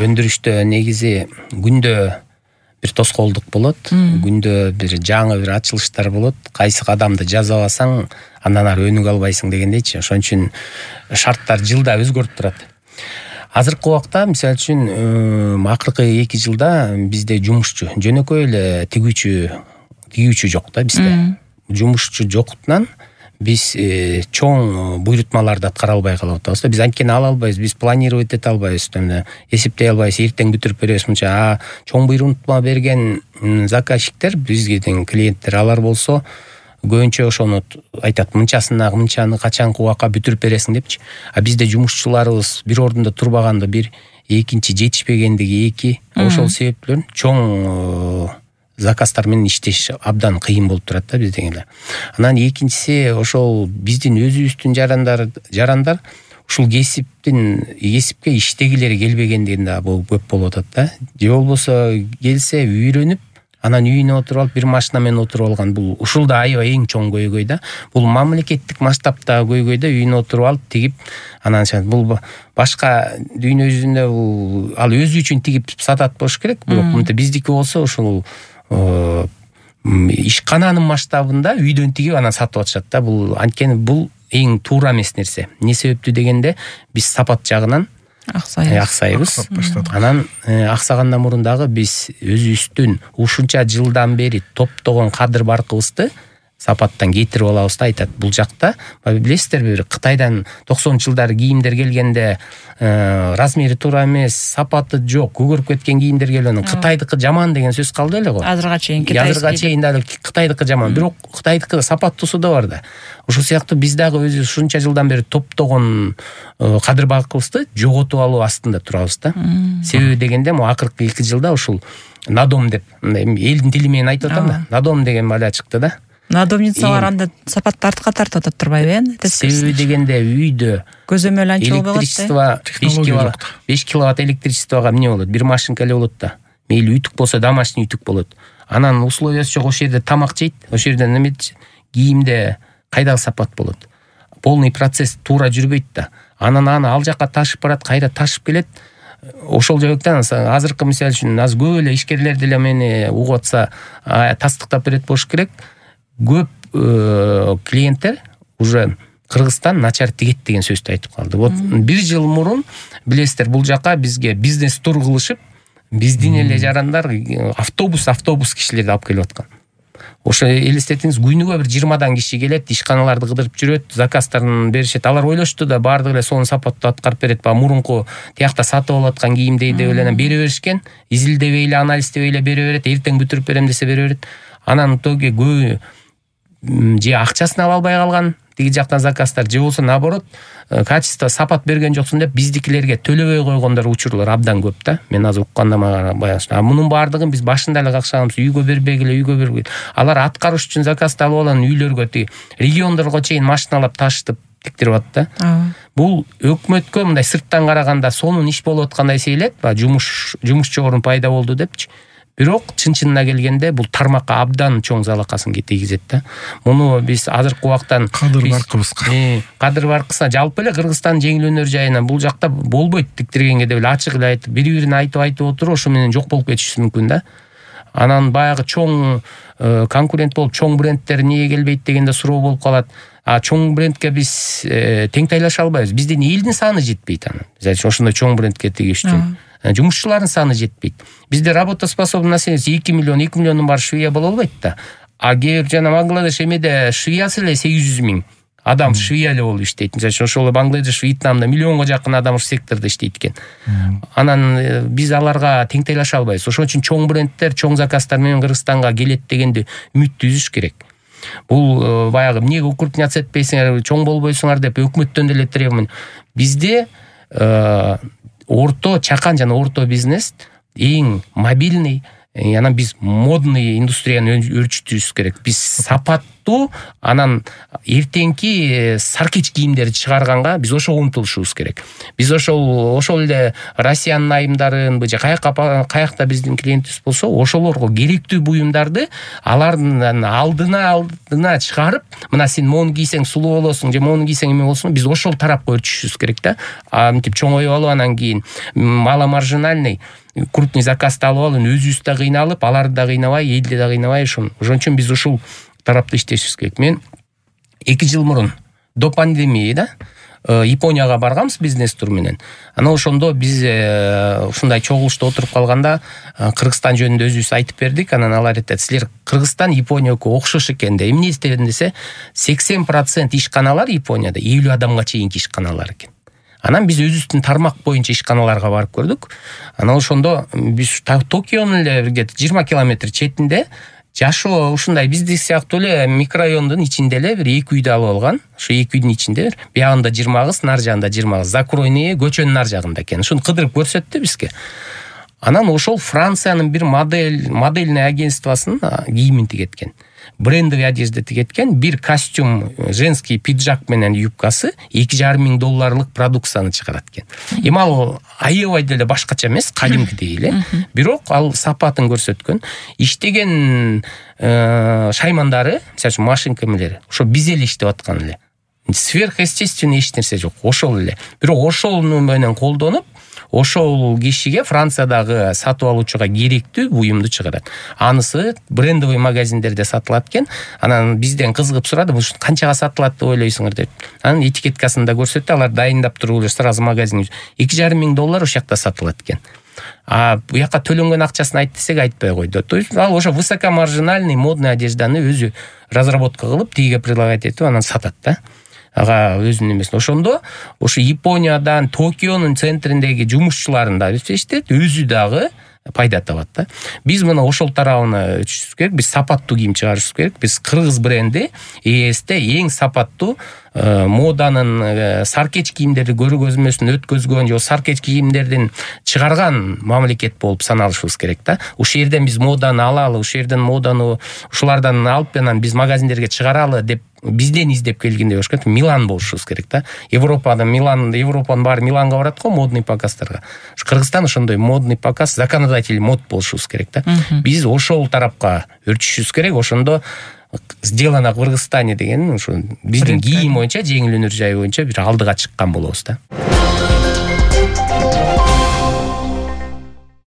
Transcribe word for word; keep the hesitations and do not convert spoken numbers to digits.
өндүрүштө негизи күндө бир тоскоолдук болот, күндө бир жаңы бир ачылыштар болот. Кайсы кадамды жасабасаң, андан ары өнүгө албайсың дегендейчи. Ошон үчүн шарттар жылда өзгөрүп турат. Азыркы убакта мисалы үчүн акыркы эки жылда бизде жумушчу, жөнөкөй эле тигүүчү, тигүүчү жок да бизде. Жумушчу жоктунан биз чоң буйрутмаларды аткара албай калып атабыз. Биз анткени ала албайбыз, биз планировать эте албайбыз, эсептей албайбыз, эртең бүтүрүп беребиз мынча. А чоң буйрутма берген заказчиктер, бизге тең клиенттер, алар болсо көбүнчө ошону айтат, мынчасына мынчаны качанкы убакка бүтүрүп бересиң депчи. А бизде жумушчуларыбыз бир ордунда турбаганда бир, экинчи жетишпегендиги эки. Ошол себептен чоң заказдар менен иштеш абдан кыйын болуп турат да бизде эле. Анан экинчиси ошол биздин өзүбүздүн жарандар, жарандар ушул кесиптин, кесипке иштегилери келбегендигин да көп болуп атат да. Же болбосо келсе үйрөнүп, анан үйүнө отуруп алып бир машина менен отуруп алган. Бул ушул да аябай эң чоң көйгөй да. Бул мамлекеттик масштабтагы көйгөй да, үйүнө отуруп алып тигип, анан бул башка дүйнө жүзүндө бул ал өзү үчүн тигип сатат болуш керек. Бирок мынтип биздики болсо ушул ишкананын масштабында үйдөн тигип анан сатып атышат да. Бул анткени бул эң туура эмес нерсе. Эмне себептүү дегенде, биз сапат жагынан аксайбыз. Анан аксагандан мурун дагы биз өзүбүздүн ушунча жылдан бери топтогон кадыр баркыбызды сапаттан кетирип алабыз да. Айтат, бул жакта билесиздерби, бир Кытайдан токсонунчу жылдары кийимдер келгенде размери туура эмес, сапаты жок, көгөрүп кеткен кийимдер келген. Кытайдыкы жаман деген сөз калды эле го. Азырга чейин Азырга чейин дагы Кытайдыкы жаман, бирок Кытайдыкы сапаттуусу да бар да. Ошол сыяктуу биз дагы өзүбүз ушунча жылдан бери топтогон кадыр баркыбызды жоготуп алуу астында турабыз да. Себеби дегенде, могу акыркы эки жылда ушул надом деп, элдин тили менен айтып атам да. Надом деген бала чыкты да. Надомницалар анда сапатты артка тартып атат турбайбы э? Себеби дегенде үйдө көзөмөл анча болбойт. Электричество беш киловатт электричествого эмне болот? Бир машинка эле болот да. Мейли үтүк болсо, домашний үтүк болот. Анан условиясы жок, ошол жерде тамак жейт, ошол жерде неме кийимде кайдагы сапат болот? Полный процесс туура жүрбөйт да. Анан аны ал жакка ташып барат, кайра ташып келет. Ошол жактан азыркы мисалы үчүн аз көп эле ишкерлер деле мени угуп атса тастыктап берет болуш керек. Көп клиенттер уже Кыргызстан начар тигет деген сөздү айтып калды. Вот бир жыл мурун билесиздер, бул жака бизге бизнес тур кылышып, биздин эле жарандар автобус автобус кишилерди алып келип аткан. Ошо элестетиңиз, күнүгө бир жыйырмадан киши келет, ишканаларды кыдырып жүрөт, заказдарын беришет. Алар ойлошту да баардыгы эле сонун сапаттуу аткарып берет. Ба мурунку тиякта сатып алып аткан кийимдей деп эле бере беришкен. Изилдебей эле, анализдебей эле бере берет. Эртең бүтүрүп берем десе бере берет. Анан тоге көбү же акчасын ала албай калган тиги жактан заказдар, же болсо наоборот качество сапат берген жоксуң деп биздикилерге төлөбөй койгондор учурлар абдан көп да. Мен азыр укканда мага баягы. А мунун баардыгын биз башында эле какшаганбыз, үйгө бербегиле, үйгө бербегиле. Алар аткаруш үчүн заказды алып алган үйлөргө, тиги региондорго чейин машиналап ташытып тиктирип атты да. Бул өкмөткө мындай сырттан караганда сонун иш болуп аткандай сейлет, жумуш жумушчу орун пайда болду депчи. Бирок чын-чынына келгенде бул тармакка абдан чоң залакасын тийгизет да. Муну биз азыркы убактан кадыр баркыбызга, кадыр баркысына жалпы эле Кыргызстан жеңил өнөр жайына бул жакта болбойт тиктиргенге деп эле ачык эле айтып, бири-бирине айтып айтып отуруп, ошо менен жок болуп кетиши мүмкүн да. Анан баягы чоң конкурент болуп, чоң брендтер эмнеге келбейт дегенде суроо болуп калат. А чоң брендке биз тең тайлаша албайбыз. Биздин элдин саны жетпейт анан. Мисалы ошондой чоң брендке тигиш үчүн. Жумушчулардын саны жетпейт. Бизде работоспособный население эки миллион, эки миллиондун баары швея боло албайт да. А кээ бир жана Бангладеш эмеде швеясы эле сегиз жүз миң адам швея эле болуп иштейт. Мисалы ошол Бангладеш, Вьетнамда миллионго жакын адам ушул сектордо иштейт экен. Анан биз аларга тең тайлаша албайбыз. Ошон үчүн чоң брендтер, чоң заказдар менен Кыргызстанга келет дегенди үмүттү үзүш керек. Бул баягы эмнеге укрупняться этпейсиңер, чоң болбойсуңар деп өкмөттөн деле требование. Бизде орто, чакан жана орто бизнес эң мобильный, анан биз модный индустрияны өрчүтүшүбүз керек. Биз сапат туруктуу, анан эртеңки саркеч кийимдерди чыгарганга биз ошого умтулушубуз керек. Биз ошол ошол эле Россиянын айымдарын же каякка каякта биздин клиентибиз болсо, ошолорго керектүү буюмдарды алардын алдына алдына чыгарып, мына сен мону кийсең сулуу болосуң же мону кийсең эме болсуң, биз ошол тарапка өрчүшүбүз керек да. Мынтип чоңоюп алып анан кийин маломаржинальный крупный заказды алып алып, өзүбүз да кыйналып, аларды да кыйнабай, элди да кыйнабай, ошон үчүн биз ушул тарапта иштешибиз керек. Мен эки жыл мурун до пандемияда Японияга барганбыз бизнес тур менен. Анан ошондо биз ушундай чогулушта отуруп калганда Кыргызстан жөнүндө өзүбүз айтып бердик. Анан алар айтат, силер Кыргызстан Японияга окшош экен да. Эмне десем десе, сексен процент ишканалар Японияда элүү адамга чейинки ишканалар экен. Анан биз өзүбүздүн тармак боюнча ишканаларга барып көрдүк. Анан ошондо биз Токионун эле где-то жыйырма километр четинде жашоо ушундай биздик сыяктуу эле микрорайондун ичинде эле бир эки үйдү алып алган. Ошо эки үйдүн ичинде бир биягында жыйырма кыз, нар жагында жыйырма кыз. Закройные көчөнүн нар жагында экен. Ушуну кыдырып көрсөттү бизге. Анан ошол Франциянын бир модель модельный агентствосунун кийимин тигеткен. Брендовый одежда тигеткен, бир костюм, женский пиджак менен юбкасы эки жарым миң долларлык продукцияны чыгарат экен. Эми ал аябай деле башкача эмес, кадимкидей эле. Бирок ал сапатын көрсөткөн. Иштеген шаймандары, мисалы машинка эмелери, ошо биз эле иштеп аткан эле. Сверхъестественный эч нерсе жок, ошол эле. Бирок ошол менен колдонуп, ошол кишиге Франциядагы сатып алуучуга керектүү буюмду чыгарат. Анысы брендовый магазиндерде сатылат экен. Анан бизден кызыгып сурады, бул канчага сатылат деп ойлойсуңар деп. Анан этикеткасын да көрсөттү, алар дайындап туруп эле сразу магазин эки жарым миң доллар ошол жакта сатылат экен. А бу жака төлөнгөн акчасын айт десек айтпай койду. То есть ал ошо высокомаржинальный модный одежданы өзү разработка кылып, тиге предлагать этип анан сатат да. Ага өзүнүн эмесин. Ошондо ошо Япониядан Токионун центриндеги жумушчуларын да иштешти, өзү дагы пайда табат да. Биз мына ошол тарабына өтүшүбүз керек. Биз сапаттуу кийим чыгарышыбыз керек. Биз кыргыз бренди ЭСте эң сапаттуу моданын саркеч кийимдерди көргөзмөсүн өткөзгөн же саркеч кийимдердин чыгарган мамлекет болуп саналышыбыз керек да. Ушул жерден биз моданы алалы, ушул жерден моданы ушулардан алып анан биз магазиндерге чыгаралы деп бизден издеп келгендей болуш керек. Милан болушубуз керек да. Европада Милан, Европанын баары Миланга барат го модный показдарга. Кыргызстан ошондой модный показ, законодатель мод болушубуз керек да. Биз ошол тарапка өрчүшүбүз керек. Ошондо сделано в Кыргызстане деген ушу биздин кийим боюнча, жеңил өнөр жай боюнча бир алдыга чыккан болобуз да.